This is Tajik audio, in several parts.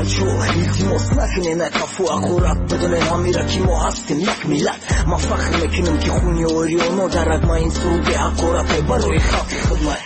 Бачо, илтимос, накунен қафу ҳақорат. Бидонен ҳамира, ки мо ҳастем як миллат. Ман фахр мекунам, ки хуни ориёно дар рагма. Ин суруди ҳақорате барои халқи худмай.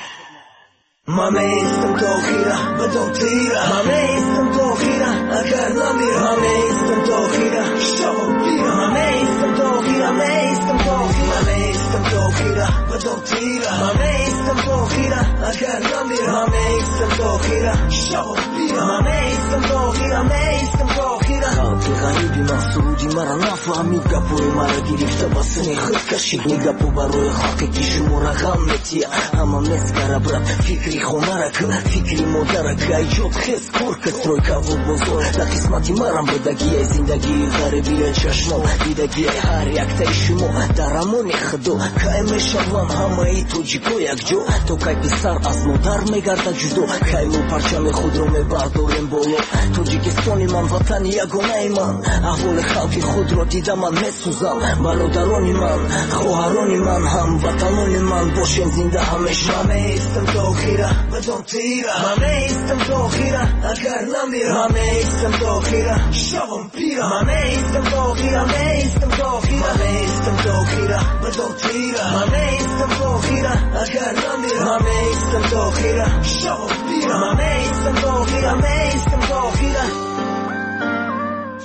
Ман меистам то охира, бидон тира. Ман меистам то охира, агар намирам. Ман меистам то охира, шавам пира. Ман меистам то охира, меистам то охира. Ман меистам то охира, бидон тира. Ман меистам то охира, агар намирам. Ман меистам то охира, шавам пира. Ман меистам то охира, меистам то охира. Халқи ғариби ман суруди мара нафаҳмид, гапҳои мара гирифта ба сини худ кашид. Ин гапҳо барои халқе, ки шуморо ғам метия. Ҳама мескара, брат, фикри хонара ки, фикри модара ки. Айҷод хез, кор ки, стройкаву бозор дар қисмати марам будагия. Зиндагии ғарибия чашмом дидагия. Ҳар яктаи шумо дар амони Худо. Кай мешавам ҳамаи тоҷико якҷо? То кай писар аз модар мегардад ҷудо? Кай мо парчами худро мебардорем боло? Тоҷикистони ман, ватани ягонаи ман. Аҳволи халқи худро дида, ман месӯзам. Бародарони ман, хоҳарони ман, ҳамватанони ман, бошем зинда ҳамеша. Ман меистам то охира, бидон тира. Ман меистам то охира, агар намирам. Ман меистам то охира, шавам пира. Ман меистам то охира, меистам то охира. Ман меистам то охира, бидон тира. Ман меистам то охира, агар намирам. Ман меистам то охира, шавам пира. Ман меистам то охира, меистам то охира.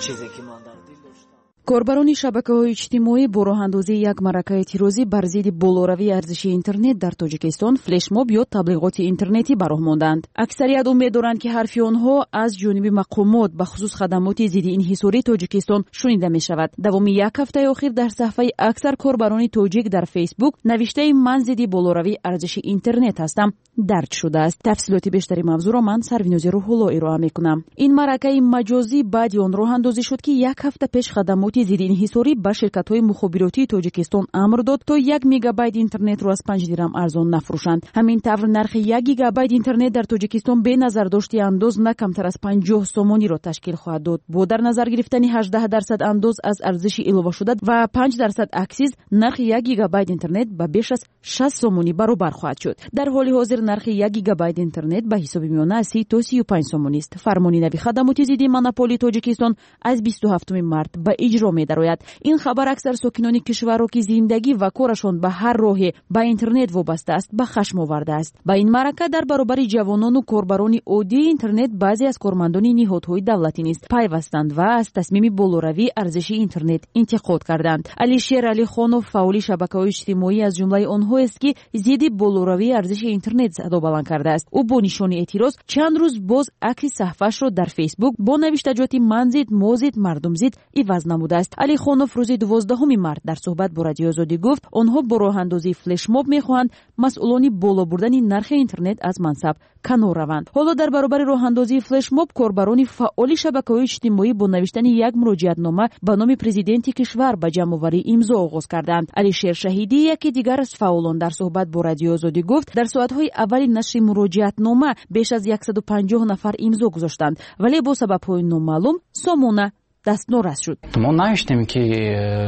Чизе ки ман дар дил доштам. Корбарони шабакаҳои иҷтимоӣ бо роҳандозии як маъракаи эътирозӣ бар зидди болоравии арзиши интернет дар Тоҷикистон флешмоб ё таблиғоти интернетӣ ба роҳ монданд. Аксарият умед доранд, ки ҳарфи онҳо аз ҷониби мақомот, бахусус хадамоти зидди инҳисории Тоҷикистон, шунида мешавад. Давоми як ҳафтаи охир дар саҳфаи аксар корбарони тоҷик дар Фейсбук навиштаи «Ман зидди болоравии арзиши интернет ҳастам» дарҷ шудааст. Тафсилоти бештари мавзӯъро ман, Сарвинози Рӯҳулло, ироа мекунам. Ин маъракаи маҷозӣ баъди он роҳандозӣ шуд, ки як ҳафта пеш хадамоти зидди инҳисорӣ ба ширкатҳои мухобиротии Тоҷикистон амр дод, то 1 мегабайт интернетро аз 5 дирам арзон нафурӯшанд. Ҳамин тавр, нархи 1 гигабайт интернет дар Тоҷикистон бе назардошти андоз на камтар аз 50 сомониро ташкил хоҳад дод. Бо дар назар гирифтани 18% андоз аз арзиши иловашуда ва 5% аксиз, нархи 1 гигабайт интернет ба беш аз 60 сомонӣ баробар хоҳад шуд. Дар ҳоли ҳозир нархи 1 гигабайт интернет ба ҳисоби миёна аз 30 то 35 сомонист. Фармони нави хадамоти зидди монополии Тоҷикистон аз 27-уми март ба иҷро медарояд. Ин хабар аксар сокинони кишварро, ки зиндагӣ ва корашон ба ҳар роҳе ба интернет вобаста аст, ба хашм овардааст. Ба ин маърака дар баробари ҷавонону корбарони оддии интернет баъзе аз кормандони ниҳодҳои давлатӣ низ пайвастанд ва аз тасмими болоравии арзиши интернет интиқод карданд. Алишер Алихонов, фаъоли шабакаҳои иҷтимоӣ, аз ҷумлаи онҳоест, ки зидди болоравии арзиши интернет садо баланд кардааст. Ӯ бо нишони эътироз чанд рӯз боз акси саҳфаашро дар Фейсбук бо навиштаҷоти «Ман зид, мо зид, мардум зид» иваз намудааст. Алихонов рӯзи 12-уми март дар суҳбат бо Радиои Озодӣ гуфт, онҳо бо роҳандозии флешмоб мехоҳанд масъулони боло бурдани нархи интернет аз мансаб канор раванд. Ҳоло дар баробари роҳандозии флешмоб корбарони фаъоли шабакаҳои иҷтимоӣ бо навиштани як муроҷиатнома ба номи президенти кишвар ба ҷамъоварии имзо оғоз карданд. Алишер Шаҳидӣ, яке дигар аз фаъолон, дар суҳбат бо Радиои Озодӣ гуфт, дар соатҳои аввали нашри муроҷиатнома беш аз 150 нафар имзо гузоштанд, вале бо сабабҳои номаълум сомона дастнорас шуд. Мо навиштем, ки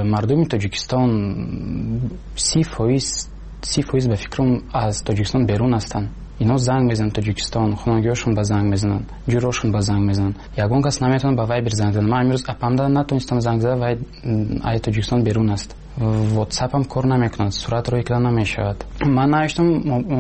мардуми Тоҷикистон 30%, 30% ба фикрам, аз Тоҷикистон берун ҳастанд. Ино занг мезананд Тоҷикистон, хонагиҳошон ба занг мезананд, ҷурошон ба занг мезананд. Ягон кас наметавонад ба Вайбер занг занад. Ман имрӯз апамда натонистам занг зада, вай ай Тоҷикистон берун аст. Ватсапам кор намекунад, сурат рӯй карда намешавад. Ман навиштам,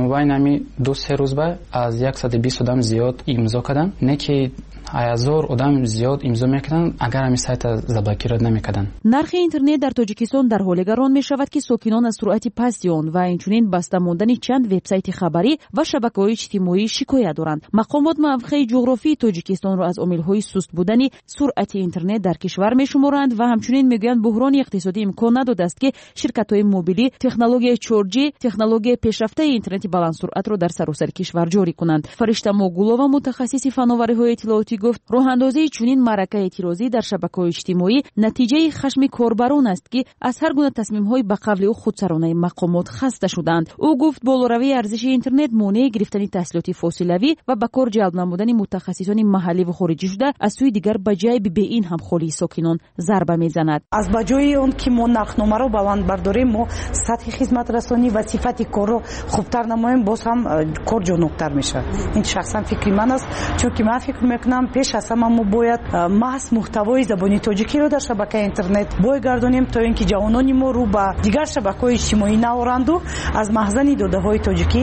мобайни ҳами 2-3 рӯз ба аз 120 одам зиёд имзо карданд. Не ки 1000 одам зиёд имзо мекарданд, агар ҳамин сайта заблокировать намекарданд. Нархи интернет дар Тоҷикистон дар ҳоле гарон мешавад, ки сокинон аз суръати пасти он ва инчунин баста мондани чанд вебсайти хабарӣ ва шабакаҳои иҷтимоӣ шикоят доранд. Мақомот мавқеи ҷуғрофии Тоҷикистонро аз омилҳои суст будани суръати интернет дар кишвар мешуморанд ва ҳамчунин мегӯянд, буҳрони иқтисодӣ имкон надодааст, ки ширкатҳои мобилӣ технологияи 4G, технологияи пешрафтаи интернети баландсуръатро дар саросари кишвар ҷорӣ кунанд. Фаришта Могулова, мутахассиси фановариҳои иттилоотӣ, гуфт, роҳандозии чунин маъракаи эътирозӣ дар шабакаҳои иҷтимоӣ натиҷаи хашми корбарон аст, ки аз ҳар гуна тасмимҳои ба қавли ӯ худсаронаи мақомот хаста шуданд. Ӯ гуфт, болоравии арзиши интернет монеи гирифтани таҳсилоти фосилавӣ ва ба кор ҷалб намудани мутахассисони маҳаллӣ ва хориҷӣ шуда, аз сӯи дигар ба ҷайби беин ҳам холии сокинон зарба мезанад. Аз ба ҷои он ки мо нархномаро ҳамаро баланд бардорем, мо сатҳи хизматрасонӣ ва сифати корро хубтар намоем, боз ҳам кор ҷонуқтар мешавад. Ин шахсан фикри ман аст, чунки ман фикр мекунам, пеш аз ҳама мо бояд маҳз муҳтавои забони тоҷикиро дар шабакаи интернет бой гардонем, то ин ки ҷавонони мо рӯ ба дигар шабакаҳои иҷтимоӣ наоранду аз маҳзани додаҳои тоҷикӣ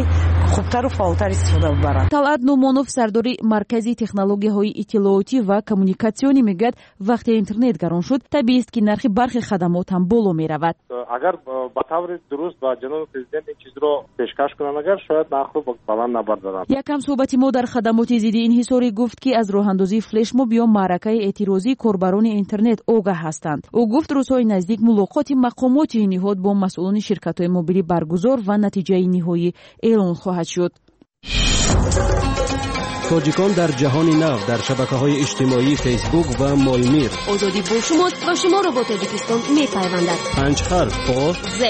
хубтару фаъолтар истифода бибаранд. Талъат Нумонов, сардори Маркази технологияҳои иттилоотӣ ва коммуникатсионӣ, мегӯяд, вақте интернет гарон шуд, табиист, ки нархи бархи хадамот ҳам боло меравад. Агар ба таври дуруст ба ҷаноби президент ин чизро пешкаш кунанд, агар шояд нархро баланд набардоранд. Якам суҳбати мо дар хадамоти зидди инҳисорӣ гуфт, ки аз роҳандозии флешмоб ё маъракаи эътирозии корбарони интернет огаҳ ҳастанд. Ӯ гуфт, рӯзҳои наздик мулоқоти мақомоти ин ниҳод бо масъулони ширкатҳои мобилӣ баргузор ва натиҷаи ниҳоӣ эълон хоҳад шуд. Тоҷикон дар ҷаҳони нав дар шабакаҳои иҷтимоии Фейсбук ва Моймир. Озодӣ бо шумост ва шуморо бо Тоҷикистон мепайвандад. Панҷ ҳарф: О, З,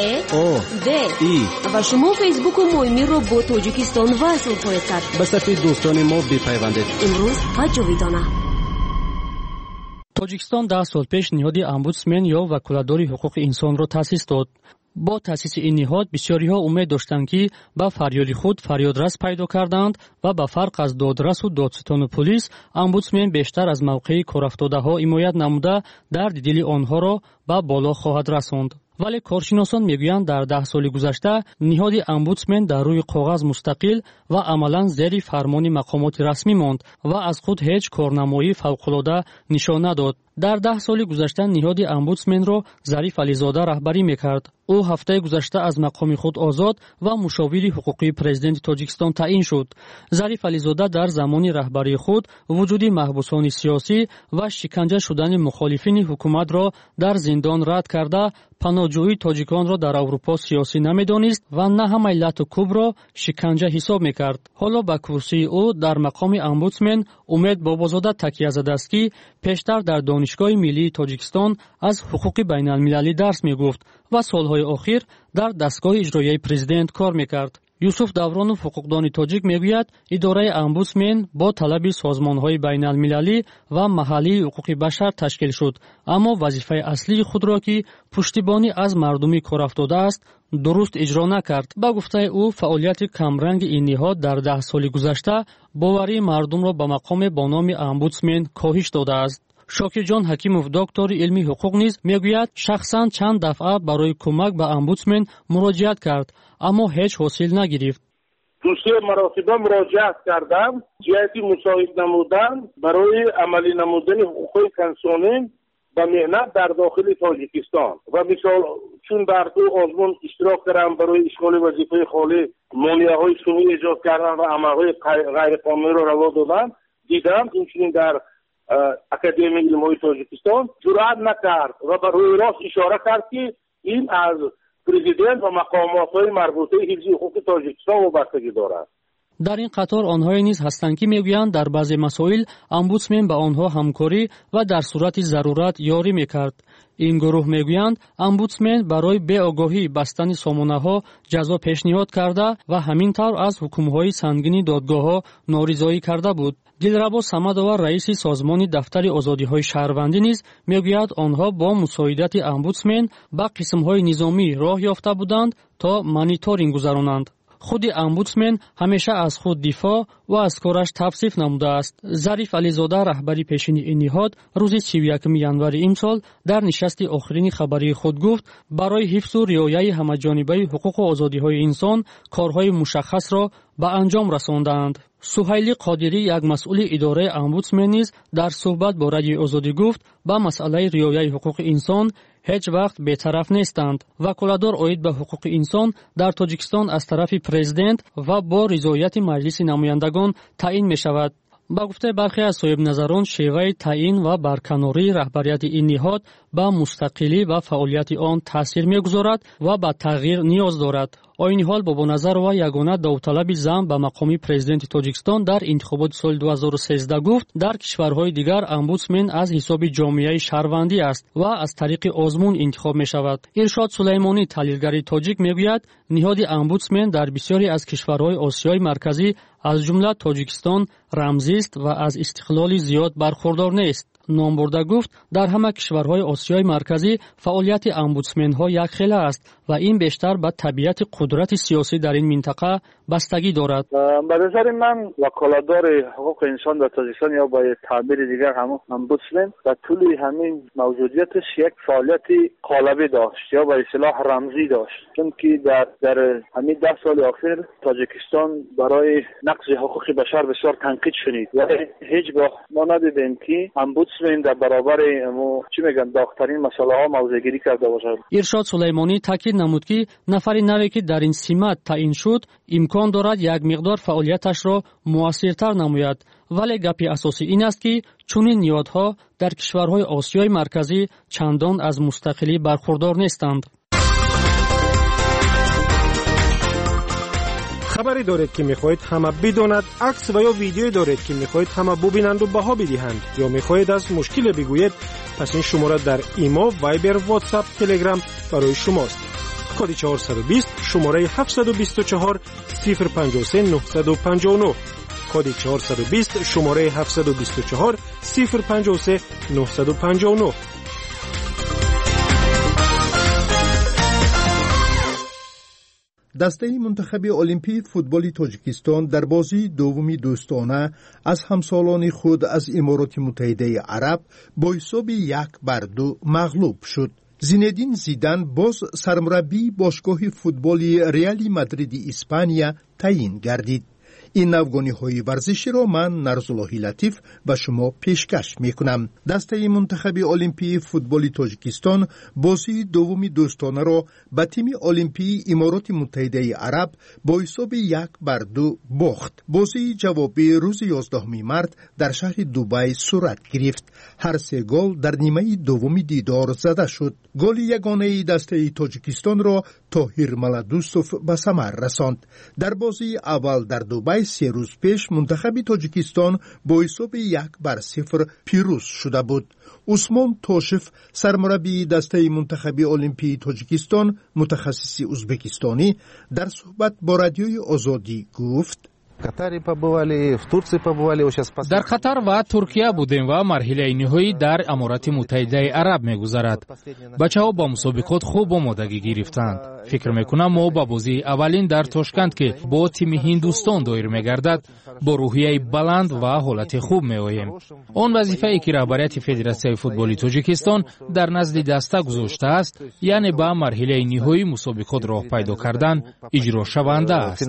О, Д, И. Ва шумо Фейсбуку Моймирро бо Тоҷикистон васл хоҳед кард. Ба сафи дӯстони мо бипайвандед. Имрӯз ва ҷовидона. Тоҷикистон 10 сол пеш ниҳоди омбудсмен ё ваколатдори ҳуқуқи инсонро таъсис дод. Бо таъсиси ин ниҳод бисёриҳо умед доштанд, ки ба фарёди худ фарёдрас пайдо карданд ва ба фарқ аз додрасу додситону пулис, омбудсмен бештар аз мавқеи корафтодаҳо ҳимоят намуда, дарди дили онҳоро ба боло хоҳад расонд. Вале коршиносон мегӯянд, дар 10 соли гузашта ниҳоди омбудсмен дар рӯи коғаз мустақил ва амалан зери фармони мақомоти расмӣ монд ва аз худ ҳеҷ корнамоии фавқулода нишон надод. Дар 10 соли гузашта ниҳоди омбудсменро Зариф Ализода раҳбарӣ мекард. Ӯ ҳафтаи гузашта аз мақоми худ озод ва мушовири ҳуқуқии президенти Тоҷикистон таъин шуд. Зариф Ализода дар замони раҳбарии худ вуҷуди маҳбусони сиёсӣ ва шиканҷа шудани мухолифини ҳукуматро дар зиндон рад карда, паноҳҷӯии тоҷиконро дар Аврупо сиёсӣ намедонист ва на ҳамаи лату кӯбро шиканҷа ҳисоб мекард. Ҳоло ба курсии ӯ дар мақоми омбудсмен Умед Бобозода такя задааст, ки пештар дар Донишгоҳи миллии Тоҷикистон аз ҳуқуқи байналмилалӣ дарс мегуфт ва солҳои охир дар дастгоҳи иҷроияи президент кор мекард. Юсуф Давронов, ҳуқуқдони тоҷик, мегӯяд, идораи омбудсмен бо талаби созмонҳои байналмилалӣ ва маҳаллии ҳуқуқи башар ташкил шуд, аммо вазифаи аслии худро, ки пуштибонӣ аз мардуми корафтода аст, дуруст иҷро накард. Ба гуфтаи ӯ, фаъолияти камранги ин ниҳод дар 10 соли гузашта боварии мардумро ба мақоме бо номи омбудсмен коҳиш додааст. Шокирҷон Ҳакимов, доктори илми ҳуқуқ, низ мегӯяд, шахсан чанд дафъа барои кӯмак ба омбудсмен муроҷиат кард, аммо ҳеҷ ҳосил нагирифт. Ду-се маротиба муроҷиат кардам ҷиҳати мусоид намудан барои амалӣ намудани ҳуқуқҳои конститутсионӣ ба меҳнат дар дохили Тоҷикистон ва мисол чун дар ду озмун иштирок кардам барои ишғоли вазифаи холӣ, монеаҳои сунъӣ эҷод кардан ва амалҳои ғайриқонуниро раво додан дидам. Инчунин дар Академияи илмҳои Тоҷикистон ҷуръат накард ва ба рӯи рост ишора кард, ки ин аз президент ва мақомотҳои марбутаи ҳифзи ҳуқуқи Тоҷикистон вобастагӣ дорад. Дар ин қатор онҳое низ ҳастанд, ки мегӯянд, дар баъзе масоил омбудсмен ба онҳо ҳамкорӣ ва дар сурати зарурат ёрӣ мекард. Ин гурӯҳ мегӯянд, омбудсмен барои беогоҳӣ бастани сомонаҳо ҷазо пешниҳод карда ва ҳамин тавр аз ҳукмҳои сангини додгоҳҳо норизоӣ карда буд. Дилрабо Самадова, раиси созмони Дафтари озодиҳои шаҳрвандӣ, низ мегӯяд, онҳо бо мусоидати омбудсмен ба қисмҳои низомӣ роҳ ёфта буданд, то мониторинг гузаронанд. Худи омбудсмен ҳамеша аз худ дифоъ ва аз кораш тавсиф намудааст. Зариф Ализода, раҳбари пешини ин ниҳод, рӯзи 31 январи имсол дар нишасти охирини хабарии худ гуфт, барои ҳифзу риояи ҳамаҷонибаи ҳуқуқу озодиҳои инсон корҳои мушаххасро ба анҷом расондаанд. Суҳайли Қодирӣ, як масъули идораи омбудсмен, низ дар суҳбат бо Радиои Озодӣ гуфт, ба масъалаи риояи ҳуқуқи инсон ҳеҷ вақт бетараф нестанд. Ваколатдор оид ба ҳуқуқи инсон дар Тоҷикистон аз тарафи президент ва бо ризояти Маҷлиси намояндагон таъин мешавад. Ба гуфтаи бархе аз соҳибназарон, шеваи таъин ва барканории раҳбарияти ин ниҳод ба мустақилӣ ва фаъолияти он таъсир мегузорад ва ба тағйир ниёз дорад. Оини ҳол Бобоназарова, ягона довталаби зан ба мақоми президенти Тоҷикистон дар интихоботи соли 2013, гуфт, дар кишварҳои дигар омбудсмен аз ҳисоби ҷомеаи шаҳрвандӣ аст ва аз тариқи озмун интихоб мешавад. Иршод Сулаймонӣ, таҳлилгари тоҷик, мегӯяд, ниҳоди омбудсмен дар бисёре аз кишварҳои Осиёи Марказӣ, аз ҷумла Тоҷикистон, рамзист ва аз истиқлоли зиёд бархурдор нест. Ном бурда гуфт, дар ҳама кишварҳои Осиёи Марказӣ фаъолияти омбудсменҳо якхела аст ва ин бештар ба табиати қудрати сиёсӣ дар ин минтақа бастагӣ дорад. Ба назари ман, ваколатдори ҳуқуқи инсон дар Тоҷикистон ё ба таъбири дигар ҳамон омбудсмен ба тӯли ҳамин мавҷудияташ як фаъолияти қолабӣ дошт ё ба истилоҳ рамзӣ дошт, чунки дар ҳамин 10 соли охир Тоҷикистон барои нақзи ҳуқуқи башар бисёр танқид шунид, вале ҳеҷ гоҳ мо надидем, ки омбудсмен дар баробари чӣ мегӯянд доғтарин масъалаҳо мавзеъгирӣ карда бошад. Иршод Сулаймонӣ таъкид намуд, ки нафари наве, ки дар ин симат таъин шуд, имкон дорад як миқдор фаъолияташро муассиртар намояд, вале гапи асосӣ ин аст, ки чунин ниҳодҳо дар кишварҳои Осиёи Марказӣ чандон аз мустақилӣ бархурдор нестанд. Хабаре доред, ки мехоҳед ҳама бидонад, акс ва ё видеое доред, ки мехоҳед ҳама бубинанду баҳо бидиҳанд, ё мехоҳед аз мушкиле бигӯед, пас ин шумора дар Имо, Вайбер, Ватсап, Телеграм барои шумост. Коди 420, шумораи 724 053 959. Коди 420, шумораи 724 053 959. Дастаи мунтахаби олимпии футболи Тоҷикистон дар бозии дуввуми дӯстона аз ҳамсолони худ аз Имороти Муттаҳидаи Араб бо ҳисоби 1-2 мағлуб шуд. Зинедин Зидан боз сармураббии бошгоҳи футболи Реали Мадриди Испания таъин гардид. Ин навгониҳои варзиширо ман, Нарзуллоҳи Латиф, ба шумо пешкаш мекунам. Дастаи мунтахаби олимпии футболи Тоҷикистон бозии дуввуми дӯстонаро ба тими олимпии Имороти Муттаҳидаи Араб бо ҳисоби 1-2 бохт. Бозии ҷавобӣ рӯзи 11 март дар шаҳри Дубай сурат гирифт. Ҳар се гол дар нимаи дуввуми дидор зада шуд. Голи ягонаи дастаи Тоҷикистонро Тоҳир Маладустов ба самар расонд. Дар бозии аввал дар Дубай 3 рӯз пеш мунтахаби Тоҷикистон бо ҳисоби 1-0 пирӯз шуда буд. Усмон Тошев, сармураббии дастаи мунтахаби олимпии Тоҷикистон, мутахассиси узбекистонӣ, дар суҳбат бо Радиои Озодӣ гуфт: Дар Қатар ва Туркия будем ва марҳилаи ниҳоӣ дар Аморати Муттаҳидаи Араб мегузарад. Бачаҳо ба мусобиқот хуб омодагӣ гирифтанд. Фикр мекунам, мо ба бозии аввалин дар Тошканд, ки бо тими Ҳиндустон доир мегардад, бо рӯҳияи баланд ва ҳолати хуб меоем. Он вазифае, ки раҳбарияти Федератсияи футболи Тоҷикистон дар назди даста гузоштааст, яъне ба марҳилаи ниҳоии мусобиқот роҳ пайдо кардан, иҷрошаванда аст.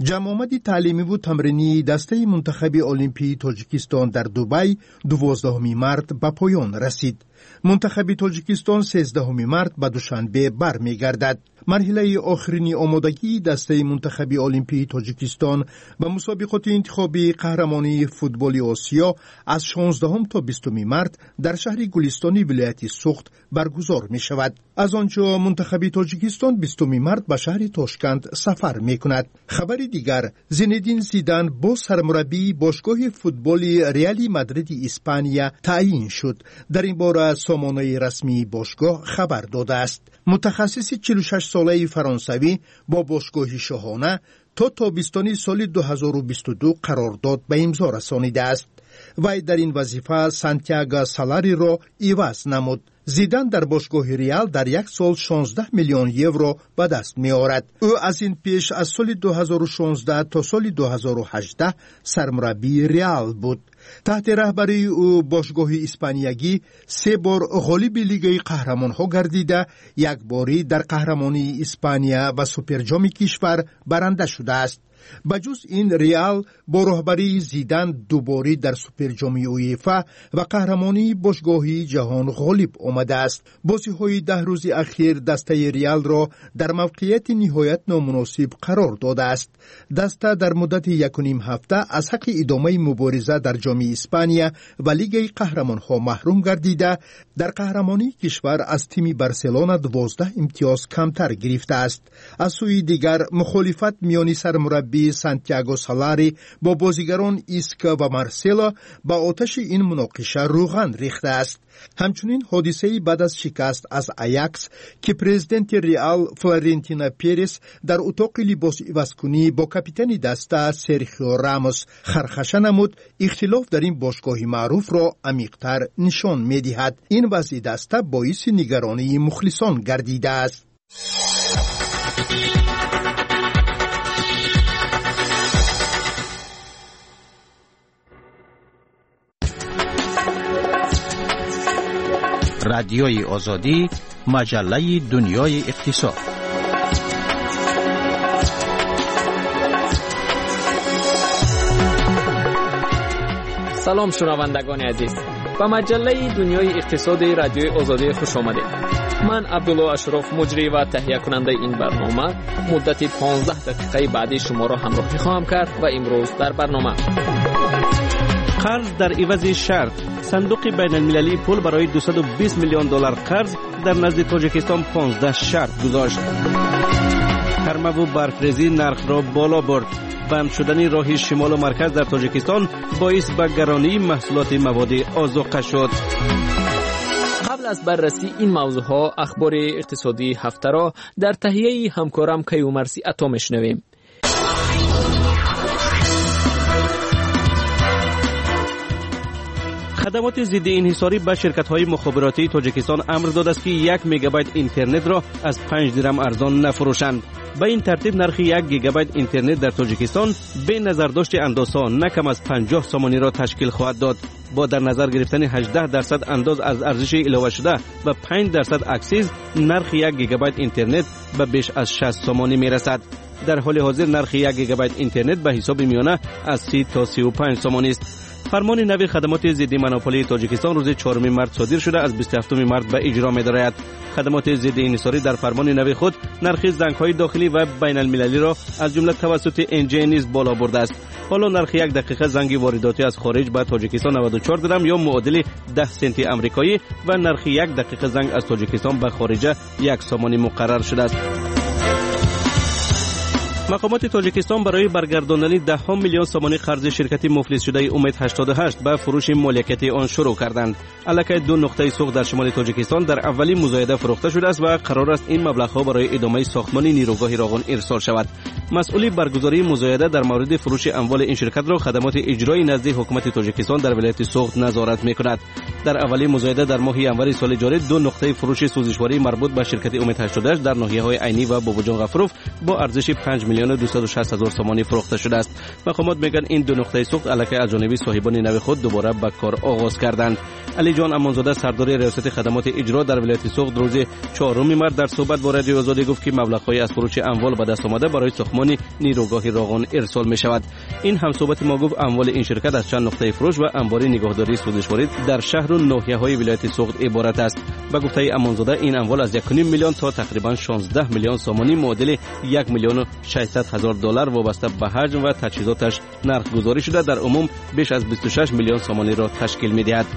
Ҷамъомади таълимиву тамринии дастаи мунтахаби олимпии Тоҷикистон дар Дубай 12 март ба поён расид. Мунтахаби Тоҷикистон 13 март ба Душанбе бармегардад. Марҳилаи охирини омодагии дастаи мунтахаби олимпии Тоҷикистон ба мусобиқоти интихобии қаҳрамонии футболи Осиё аз 16 то 20 март дар шаҳри Гулистони вилояти Суғд баргузор мешавад. Аз он ҷо мунтахаби Тоҷикистон 20 март ба шаҳри Тошканд сафар мекунад. Хабари дигар: Зинедин Зидан боз сармураббии бошгоҳи футболи Реали Мадриди Испания таъин шуд. Дар ин бора сомонаи расмии бошгоҳ хабар додааст. Мутахассиси 46-солаи фаронсавӣ бо бошгоҳи шоҳона то тобистони соли 2022 қарордод ба имзо расонидааст. Вай дар ин вазифа Сантяго Салариро иваз намуд. Зидан дар бошгоҳи Реал дар як сол 16 миллион евро ба даст меорад. Ӯ аз ин пеш аз соли 2016 то соли 2018 сармураббии Реал буд. Таҳти раҳбарии ӯ бошгоҳи испаниягӣ се бор ғолиби Лигаи қаҳрамонҳо гардида, якборӣ дар қаҳрамонии Испания ва Суперҷоми кишвар баранда шудааст. Ба ҷуз ин, Реал бо роҳбарии Зидан дуборӣ дар Суперҷоми УЕФА ва қаҳрамонии бошгоҳии ҷаҳон ғолиб омадааст. Бозиҳои 10 рӯзи ахир дастаи Реалро дар мавқеияти ниҳоят номуносиб қарор додааст. Даста дар муддати 1,5 ҳафта аз ҳаққи идомаи мубориза дар Ҷоми Испания ва Лигаи қаҳрамонҳо маҳрум гардида, дар қаҳрамонии кишвар аз тими Барселона 12 имтиёз камтар гирифтааст. Аз сӯи дигар, мухолифат миёни сармураббӣ Сармураббӣ Сантяго Солари бо бозигарон Иско ва Марсело ба оташи ин муноқиша рӯған рехтааст. Ҳамчунин ҳодисаи баъд аз шикаст аз Аякс, ки президенти Реал Флорентино Перес дар утоқи либосивазкунӣ бо капитани даста Серхио Рамос хархаша намуд, ихтилоф дар ин бошгоҳи маъруфро амиқтар нишон медиҳад. Ин вазъи даста боиси нигаронии мухлисон гардидааст. Радиои Озодӣ, маҷаллаи дунёи иқтисод. Салом, шунавандагони азиз, ба маҷаллаи дунёи иқтисоди Радиои Озодӣ хуш омадед. Ман Абдулло Ашроф, муҷрӣ ва таҳиякунандаи ин барнома, муддати 15 дақиқаи баъдӣ шуморо ҳамроҳӣ хоҳам кард ва имрӯз дар барнома: қарз дар ивази шарт. Сандуқи байналмилалии пул барои 220 миллион доллар қарз дар назди Тоҷикистон 15 шарт гузошт. Тармаву барфрезӣ нархро боло бурд. Банд шудани роҳи шимолу марказ дар Тоҷикистон боис ба гаронии маҳсулоти маводи озуқа шуд. Қабл аз баррасии ин мавзӯъҳо, ахбори иқтисодии ҳафтаро дар таҳияи ҳамкорам Каюмарси Ато мешунавем. Хадамоти зидди инҳисорӣ ба ширкатҳои мухобиротии Тоҷикистон амр додааст, ки 1 мегабайт интернетро аз 5 дирам арзон нафурӯшанд. Ба ин тартиб, нархи 1 гигабайт интернет дар Тоҷикистон бе назардошти андозҳо на кам аз 50 сомониро ташкил хоҳад дод. Бо дар назар гирифтани 18% андоз аз арзиши иловашуда ва 5% аксиз, нархи 1 гигабайт интернет ба беш аз 60 сомонӣ мерасад. Дар ҳоли ҳозир нархи 1 гигабайт интернет ба ҳисоби миёна аз 30 то 35 сомонист. Фармони нави хадамоти зидди монополии Тоҷикистон рӯзи 4 март содир шуда, аз 27 март ба иҷро медарояд. Хадамоти зидди инҳисорӣ дар фармони нави худ нархи зангҳои дохилӣ ва байналмилалиро, аз ҷумла тавассути НЖ, низ боло бурдааст. Ҳоло нархи 1 дақиқа занги воридотӣ аз хориҷ ба Тоҷикистон 94 дирам ё муодили 10 сенти амрикоӣ ва нархи 1 дақиқа занг аз Тоҷикистон ба хориҷа 1 сомонӣ муқаррар шудааст. Мақомоти Тоҷикистон барои баргардондани даҳҳо миллион сомонӣ қарзи ширкати муфлисшудаи Умед 88 ба фурӯши моликияти он шурӯъ карданд. Аллакай ду нуқтаи сӯхт дар шимоли Тоҷикистон дар аввалин музояда фурӯхта шудааст ва қарор аст ин маблағҳо барои идомаи сохтмони нерӯгоҳи Роғун ирсол шавад. Масъули баргузории музояда дар мавриди фурӯши амволи ин ширкатро хадамоти иҷрои назди ҳукумати Тоҷикистон дар вилояти Суғд назорат мекунад. Дар аввалин музояда дар моҳи январи соли ҷорӣ ду нуқтаи фурӯши сӯзишворӣ марбут ба ширкати Умед 88 дар ноҳияҳои Айнӣ ва Бобоҷон Ғафуров бо арзиши 5 миллиону 260 ҳазор сомонӣ фурӯхта шудааст. Мақомот мегӯянд, ин ду нуқтаи сӯхт аллакай аз ҷониби соҳибони нави худ дубора ба кор оғоз карданд. Алиҷон Амонзода, сардори риёсати хадамоти иҷро дар вилояти Суғд, рӯзи 4 март дар суҳбат бо Радиои Озодӣ гуфт, ки маблағҳои аз фурӯши амвол ба даст омада барои сохтмони нерӯгоҳи Роғун ирсол мешавад. Ин ҳамсуҳбати мо гуфт, амволи ин ширкат аз чанд нуқтаи фурӯш ва анбори нигаҳдории сӯзишворӣ дар шаҳру ноҳияҳои вилояти Суғд иборат аст. Ба гуфтаи Амонзода, ин амвол аз 1,5 миллион то тақрибан 16 миллион сомонӣ, муодили 1 миллиону 600 ҳазор доллар, вобаста ба ҳаҷм ва таҷҳизоташ нархгузорӣ шуда, дар умум беш аз 26 миллион сомониро ташкил медиҳад.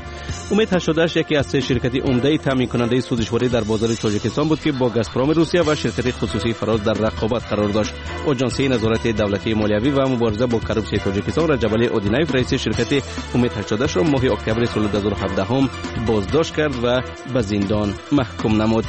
Умед 88 яке аз се ширкати умдаи таъминкунандаи сӯзишворӣ дар бозори Тоҷикистон буд, ки бо Газпроми Русия ва ширкати хусусии Фароз дар рақобат қарор дошт. Оҷонсии назорати давлатии молиявӣ ва мубориза бо коррупсияи Тоҷикистон Раҷабалӣ Одинаев, раиси ширкати Умед 88-ро моҳи октябри соли 2017 боздошт кард ва ба зиндон маҳкум намуд.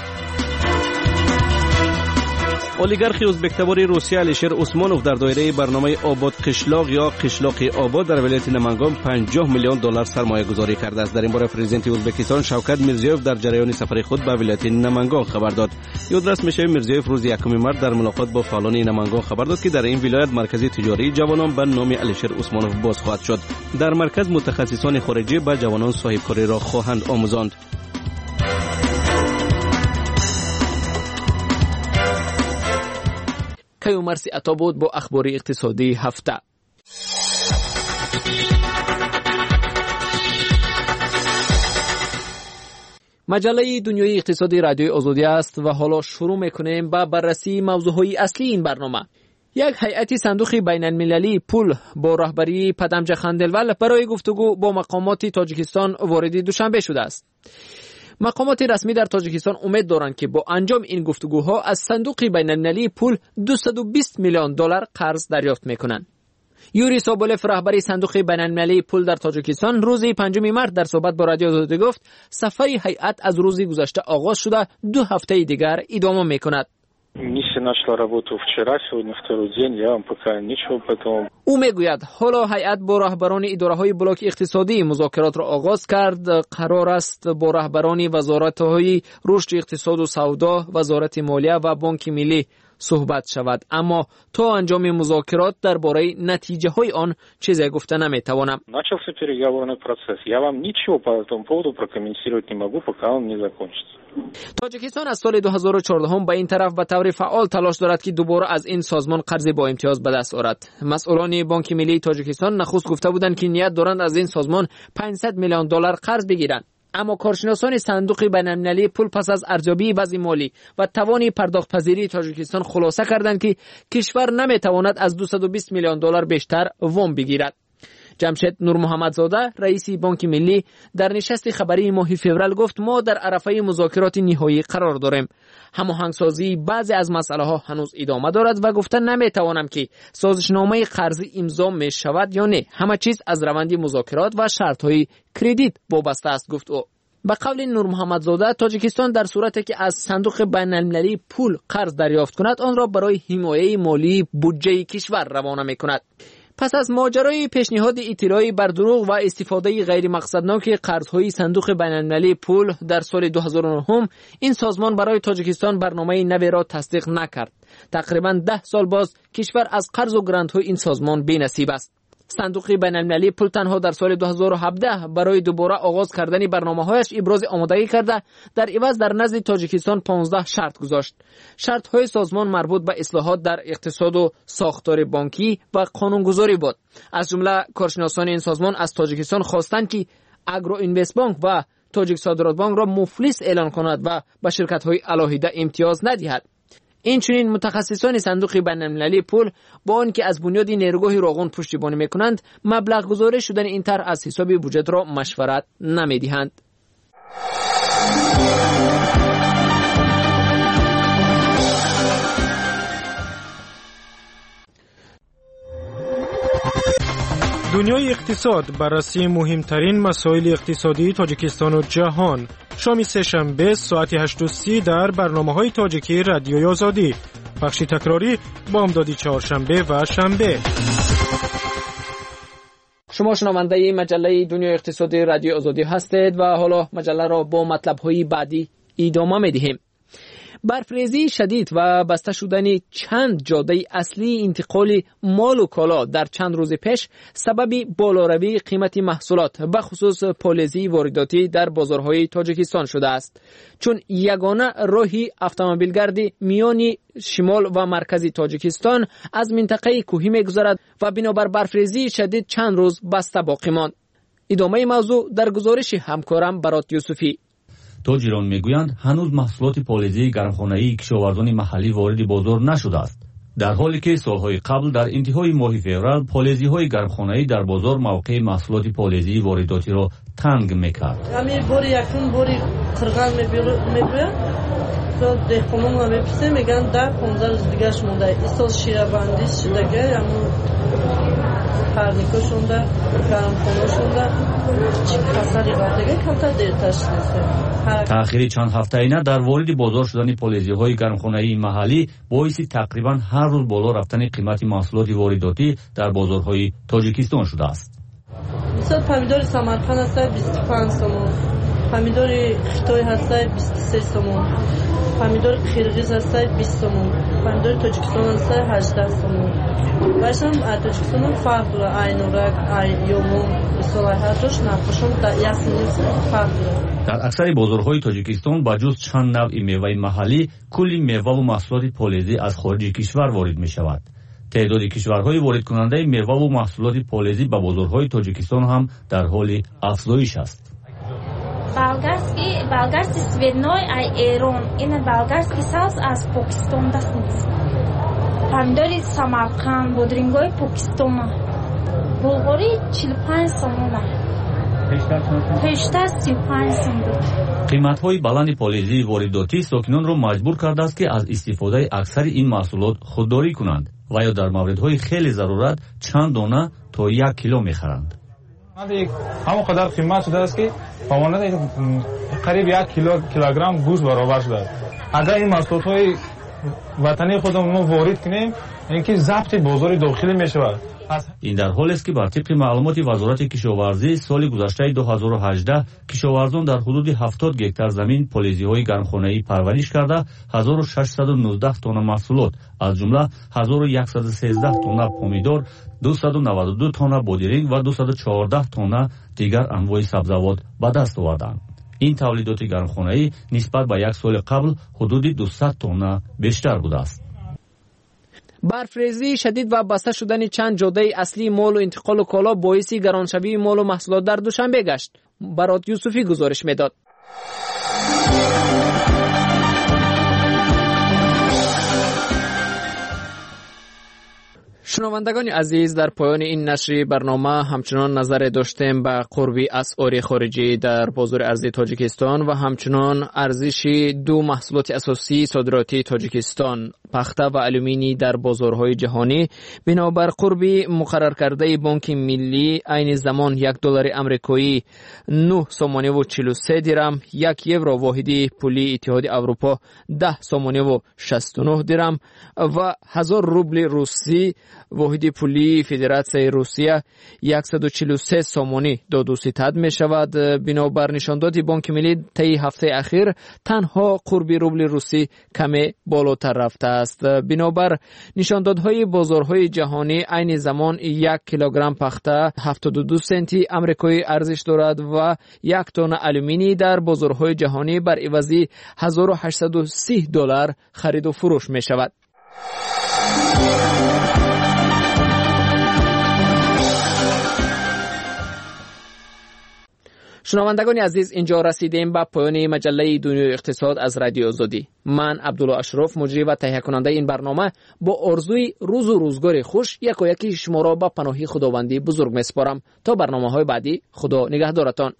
Олигархи ӯзбектабори Русия Алишер Усмонов дар доираи барномаи Обод қишлоқ ё қишлоқи обод дар вилояти Намангон 50 миллион доллар сармоягузорӣ кардааст. Дар ин бора президенти Ӯзбекистон Шавкат Мирзиёев дар ҷараёни сафари худ ба вилояти Намангон хабар дод. Ёдрас мешавад, Мирзиёев рӯзи 1 март дар мулоқот бо фаъолони Намангон хабар дод, ки дар ин вилоят маркази тиҷории ҷавонон ба номи Алишер Усмонов боз хоҳад шуд. Дар марказ мутахассисони хориҷӣ ба ҷавонон соҳибкориро хоҳанд омӯзонд. Каюмарси Ато буд бо ахбори иқтисодии ҳафта. Маҷаллаи дунёи иқтисоди Радиои Озодӣ аст ва ҳоло шурӯъ мекунем ба баррасии мавзӯъҳои аслии ин барнома. Як ҳайати сандуқи байналмилалии пул бо роҳбарии Падамҷа Ханделвал барои гуфтугӯ бо мақомоти Тоҷикистон вориди Душанбе шудааст. Мақомоти расмӣ дар Тоҷикистон умед доранд, ки бо анҷоми ин гуфтугӯҳо аз Сандуқи байналмилалии пул 220 миллион доллар қарз дарёфт мекунанд. Юрий Соболев, раҳбари Сандуқи байналмилалии пул дар Тоҷикистон, рӯзи 5 март дар суҳбат бо Радиои Озодӣ гуфт, сафари ҳайат аз рӯзи гузашта оғоз шуда, 2 ҳафтаи дигар идома мекунад. Миссия начала работу вчера, сегодня второй день, я вам пока ничего по этому. Ӯ мегӯяд, ҳоло ҳайат бо раҳбарони идораҳои блоки иқтисодӣ музокиротро оғоз кард. Қарор аст бо раҳбарони вазоратҳои рушди иқтисоду савдо, Вазорати молия ва Бонки миллӣ суҳбат шавад. Аммо то анҷоми музокирот дар бораи натиҷаҳои он чизе гуфта наметавонам. Начался переговорный процесс. Я вам ничего по этому поводу прокомментировать не могу, пока он не закончится. Тоҷикистон аз соли 2014 ба ин тараф ба таври фаъол талош дорад, ки дубора аз ин созмон қарзи бо имтиёз ба даст орад. Масъулони Бонки миллии Тоҷикистон нахуст гуфта буданд, ки ният доранд аз ин созмон 500 миллион доллар қарз бигиранд. Аммо коршиносони Сандуқи байналмилалии пул пас аз арзёбии вазъи молӣ ва тавони пардохтпазирии Тоҷикистон хулоса карданд, ки кишвар наметавонад аз 220 миллион доллар бештар вом бигирад. Ҷамшед Нурмуҳаммадзода, раиси Бонки миллӣ, дар нишасти хабарии моҳи феврал гуфт, мо дар арафаи музокироти ниҳоӣ қарор дорем. Ҳамоҳангсозии баъзе аз масъалаҳо ҳанӯз идома дорад ва гуфта наметавонам, ки созишномаи қарзӣ имзо мешавад ё не. Ҳама чиз аз раванди музокирот ва шартҳои кредит вобаста аст, гуфт ӯ. Ба қавли Нурмуҳаммадзода, Тоҷикистон дар сурате ки аз Сандуқи байналмилалии пул қарз дарёфт кунад, онро барои ҳимояи молии буҷаи кишвар равона мекунад. Пас аз моҷарои пешниҳоди иттилои бардурӯғ ва истифодаи ғайримақсадноки қарзҳои Сандуқи байналмилалии пул дар соли 2009, ин созмон барои Тоҷикистон барномаи наверо тасдиқ накард. Тақрибан 10 сол боз кишвар аз қарзу грантҳои ин созмон бенасиб аст. Сандуқи байналмилалии пул танҳо дар соли 2017 барои дубора оғоз кардани барномаҳояш ибрози омодагӣ карда, дар иваз дар назди Тоҷикистон 15 шарт гузошт. Шартҳои созмон марбут ба ислоҳот дар иқтисоду сохтори бонкӣ ва қонунгузорӣ буд. Аз ҷумла коршиносони ин созмон аз Тоҷикистон хостанд, ки Агроинвестбонк ва Тоҷиксодиротбонкро муфлис эълон кунад ва ба ширкатҳои алоҳида имтиёз надиҳад. Инчунин мутахассисони Сандуқи байналмилалии пул бо он ки аз бунёди нерӯгоҳи Роғун пуштибонӣ мекунанд, маблағгузорӣ шудани ин тарҳ аз ҳисоби буҷетро машварат намедиҳанд. Дунёи иқтисод, баррасии муҳимтарин масоили иқтисодии Тоҷикистону ҷаҳон. Шоми сешанбе соати 8:30 дар барномаҳои тоҷикии Радиои Озодӣ. Пахши такрорӣ бомдоди чоршанбе ва шанбе. Шумо шунавандаи маҷаллаи Дунёи иқтисодии Радиои Озодӣ ҳастед ва ҳоло маҷалларо бо матлабҳои баъдӣ идома медиҳем. Барфрезии шадид ва баста шудани чанд ҷодаи аслии интиқоли молу коло дар чанд рӯзи пеш сабаби болоравии қимати маҳсулот, ба хусус полезии воридотӣ дар бозорҳои Тоҷикистон шудааст. Чун ягона роҳи автомобилгарди миёни шимол ва маркази Тоҷикистон аз минтақаи кӯҳӣ мегузарад ва бинобар барфрезии шадид чанд рӯз баста боқӣ монд. Идомаи мавзӯъ дар гузориши ҳамкорам Барот Юсуфӣ. Тоҷирон мегӯянд, ҳанӯз маҳсулоти полезии гармхонаии кишоварзони маҳаллӣ вориди бозор нашудааст, дар ҳоле ки солҳои қабл дар интиҳои моҳи феврал полезиҳои гармхонаӣ дар бозор мавқеи маҳсулоти полезии воридотиро танг мекард. Ҳамин бори якум бори қирған мебиёяд, деҳқононро мепурсем, мегӯянд 10-15 рӯз дигараш монда. Ин сол ширабандӣ шудага, ҳамун парникошонда, гармхонашонда касали ғалтага камтар дертар шудааст. Таъхири чанд ҳафтаина дар вориди бозор шудани полезиҳои гармхонаии маҳаллӣ боиси тақрибан ҳар рӯз боло рафтани қимати маҳсулоти воридотӣ дар бозорҳои Тоҷикистон шудааст. Мисол помидори Самарқанд ҳастад 25 сомон, помидори Хитой ҳастад 23 сомон, помидори Қирғиз ҳастад 20 сомон, помидори Тоҷикистон ҳастад 18 сомон. Баъдам Тоҷикистонам фарқ дорад, ай Нурак, ай Ёвон, мисол ай ҳар ҷош нархошон як фарқ дорад. Дар аксари бозорҳои Тоҷикистон ба ҷуз чанд навъи меваи маҳаллӣ кулли меваву маҳсулоти полезӣ аз хориҷи кишвар ворид мешавад. Теъдоди кишварҳои воридкунандаи меваву маҳсулоти полезӣ ба бозорҳои Тоҷикистон ҳам дар ҳоли афзоиш аст. Болгарский цветной ай Эрон, ина болгарский сабз аз Покистон даст нест. Помидори Самарқанд, бодрингои Покистона. Булғори 45 сомона. Пештар 35 сум буд. Қиматҳои баланди полезии воридотӣ сокинонро маҷбур кардааст, ки аз истифодаи аксари ин маҳсулот худдорӣ кунанд ва ё дар мавридҳои хеле зарурат чанд дона то 1 кило мехаранд. Ҳамон қадар қимат шудааст, ки ба монанди қариб 1 килограмм гӯшт баробар шудааст. Агар ин маҳсулотҳои ватании худамон мо ворид кунем, ин ки забти бозори дохилӣ мешавад. Ин дар ҳолест, ки бар тибқи маълумоти Вазорати кишоварзӣ соли гузаштаи 2018 кишоварзон дар ҳудуди 70 гектар замин полезиҳои гармхонаӣ парвариш карда 1619 тонна маҳсулот, аз ҷумла 1113 тонна помидор, 292 тонна бодиринг ва 214 тонна дигар анвои сабзавот ба даст оварданд. Ин тавлидоти гармхонаӣ нисбат ба як соли қабл ҳудуди 200 тонна бештар будааст. Барфрезии шадид ва баста шудани чанд ҷодаи аслии молу интиқолу коло боиси гароншавии молу маҳсулот дар Душанбе гашт. Барот Юсуфӣ гузориш медод. Шунавандагони азиз, дар поёни ин нашри барнома ҳамчунон назаре доштем ба қурби асъори хориҷӣ дар бозори арзии Тоҷикистон ва ҳамчунон арзиши ду маҳсулоти асосии содиротии Тоҷикистон, пахта ва алюминий дар бозорҳои ҷаҳонӣ. Бинобар қурби муқарраркардаи Бонки Миллӣ, айни замон 1 доллари амрикоӣ 9 сомониву 43 дирам, 1 евро воҳиди пулии Иттиҳоди Аврупо 10 сомониву 69 дирам ва 1000 рубли русӣ воҳиди пулии Федератсияи Русия 143 сомонӣ доду ситад мешавад. Бинобар нишондоди Бонки Миллӣ, таи ҳафтаи ахир танҳо қурби рубли русӣ каме болотар рафтааст. Бинобар нишондодҳои бозорҳои ҷаҳонӣ, айни замон 1 килограмм пахта 72 сенти амрикоӣ арзиш дорад ва 1 тонна алюминий дар бозорҳои ҷаҳонӣ бар ивази 1830 доллар хариду фурӯш мешавад. Шунавандагони азиз, инҷо расидем ба поёни маҷаллаи Дунёи иқтисод аз Радиои Озодӣ. Ман Абдулло Ашроф, муҷрӣ ва таҳиякунандаи ин барнома, бо орзуи рӯзу рӯзгори хуш якояки шуморо ба паноҳи Худованди бузург месупорам. То барномаҳои баъдӣ, Худо нигаҳдоратон.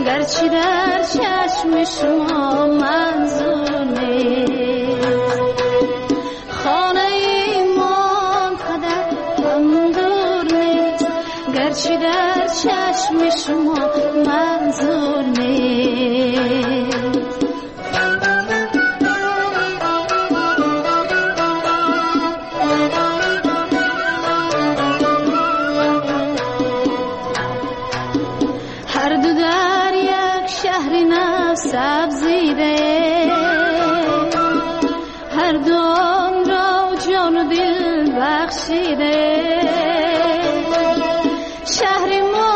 گرچه در چشم شما منظور نیست، خانه ما قدر هم دور نیست، گرچه در چشم شما منظور نیست. هر دو در یک شهر سبزیده، هر دو آن را جان و دل بخشیده. شهر ما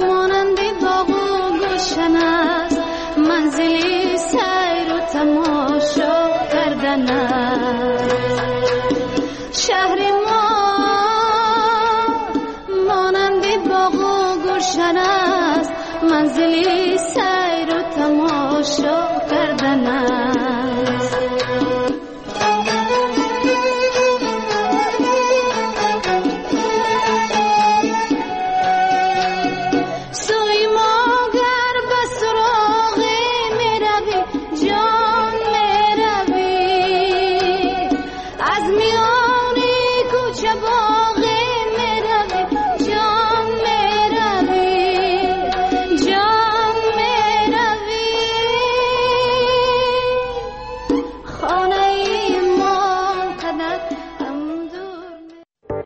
مانند باغ و گلشن است، منزلی سیر و تماشا کردن است. شهر ما Шабон.